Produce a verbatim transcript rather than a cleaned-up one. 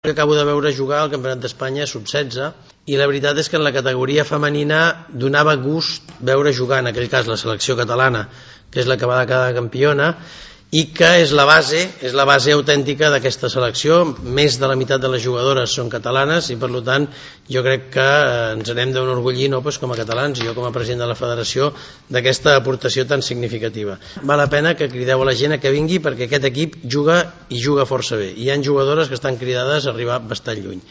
Acabo de veure jugar al Campionat d'Espanya sub setze i la veritat és que en la categoria femenina donava gust veure jugar, en aquell cas, la selecció catalana, que és la que va quedar campiona, i que és la base, és la base autèntica d'aquesta selecció. Més de la meitat de les jugadores són catalanes i, per tant, jo crec que ens n'hem d'enorgullir, no, doncs, com a catalans, i jo com a president de la federació, d'aquesta aportació tan significativa. Val la pena que crideu a la gent a que vingui perquè aquest equip juga i juga força bé. Hi ha jugadores que estan cridades a arribar bastant lluny.